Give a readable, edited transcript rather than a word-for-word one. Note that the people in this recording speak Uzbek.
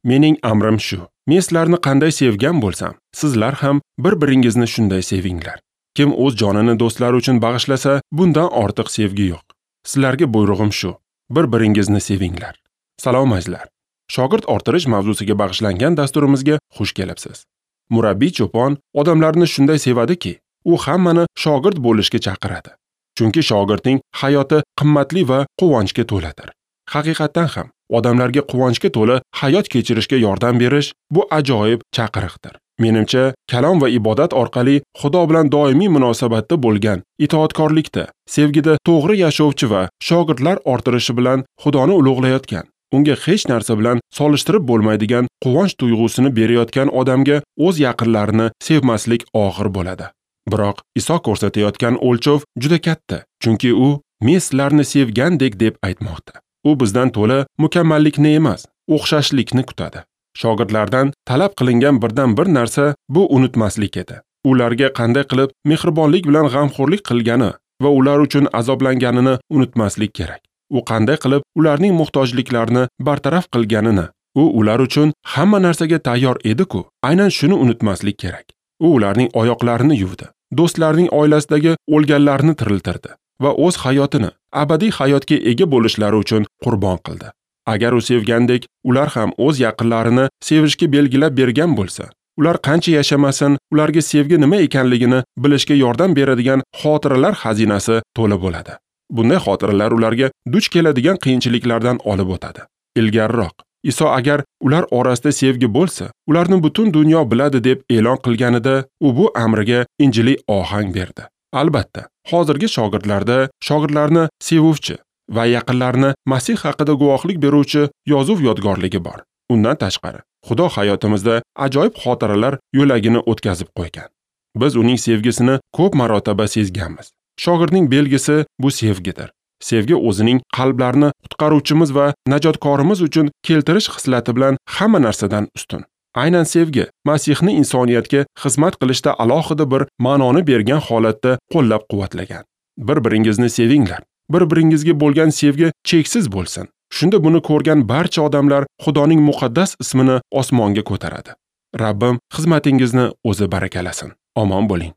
Mening amrim shu: men sizlarni qanday sevgan bo'lsam, sizlar ham bir-biringizni shunday sevinglar. Kim o'z jonini do'stlari uchun bag'ishlasa, bundan ortiq sevgi yo'q. Sizlarga buyrug'im shu: bir-biringizni sevinglar. Salom azizlar. Shogird orttirish mavzusiga bag'ishlangan dasturimizga xush kelibsiz. Murabbiy cho'pon odamlarni shunday sevadiki, u hammani shogird bo'lishga chaqiradi. Chunki shogirdning hayoti qimmatli va quvonchga to'ladir. Haqiqatdan ham odamlarga quvonchga to'la hayot kechirishga yordam berish bu ajoyib chaqiriqdir. Menimcha, kalom va ibodat orqali Xudo bilan doimiy munosabatda bo'lgan, itoatkorlikda, sevgida to'g'ri yashovchi va shogirdlar orttirishi bilan Xudoni ulug'layotgan, unga hech narsa bilan solishtirib bo'lmaydigan quvonch tuyg'usini berayotgan odamga o'z yaqinlarini sevmaslik og'ir bo'ladi. Biroq Iso ko'rsatayotgan o'lchov juda katta, chunki u "Men sizlarni sevgandek" deb aytmoqda. U bizdan to'la mukammallikni emas, o'xshashlikni kutadi. Shogirdlardan talab qilingan birdan bir narsa bu unutmaslik edi. Ularga qanday qilib mehribonlik bilan g'amxo'rlik qilgani va ular uchun azoblanganini unutmaslik kerak. U qanday qilib ularning muhtojliklarini bartaraf qilganini, u ular uchun hamma narsaga tayyor edi-ku, aynan shuni unutmaslik kerak. U ularning oyoqlarini yuvdi, do'stlarining oilasidagi o'lganlarni tiriltirdi va o'z hayotini abadiy hayotga ega bo'lishlari uchun qurbon qildi. Agar u sevgandek, ular ham o'z yaqinlarini sevishga belgilab bergan bo'lsa, ular qancha yashamasin, ularga sevgi nima ekanligini bilishga yordam beradigan xotiralar xazinasi to'la bo'ladi. Bunday xotiralar ularga duch keladigan qiyinchiliklardan olib o'tadi. Ilgariroq Iso agar ular orasida sevgi bo'lsa, ularni butun dunyo biladi deb e'lon qilganida, u bu amriga injiliy ohang berdi. Albatta, hozirgi shogirdlarda shogirdlarni sevuvchi va yaqinlarini Masih haqida guvohlik beruvchi yozuv yodgorligi bor. Undan tashqari, Xudo hayotimizda ajoyib xotiralar yo'lagini o'tkazib qo'ygan. Biz uning sevgisini ko'p marotaba sezganmiz. Shogirdning belgisi bu sevgidir. Sevgi o'zining qalblarini qutqaruvchimiz va najotkorimiz uchun keltirish xislati bilan hamma narsadan ustun. Aynan sevgi Masihni insoniyatga xizmat qilishda alohida bir ma'noni bergan holatda qo'llab-quvvatlagan. Bir-biringizni sevinglar. Bir-biringizga bo'lgan sevgi cheksiz bo'lsin. Shunda buni ko'rgan barcha odamlar Xudoning muqaddas ismini osmonga ko'taradi. Rabbim xizmatingizni o'zi barakalasin. Omon bo'ling.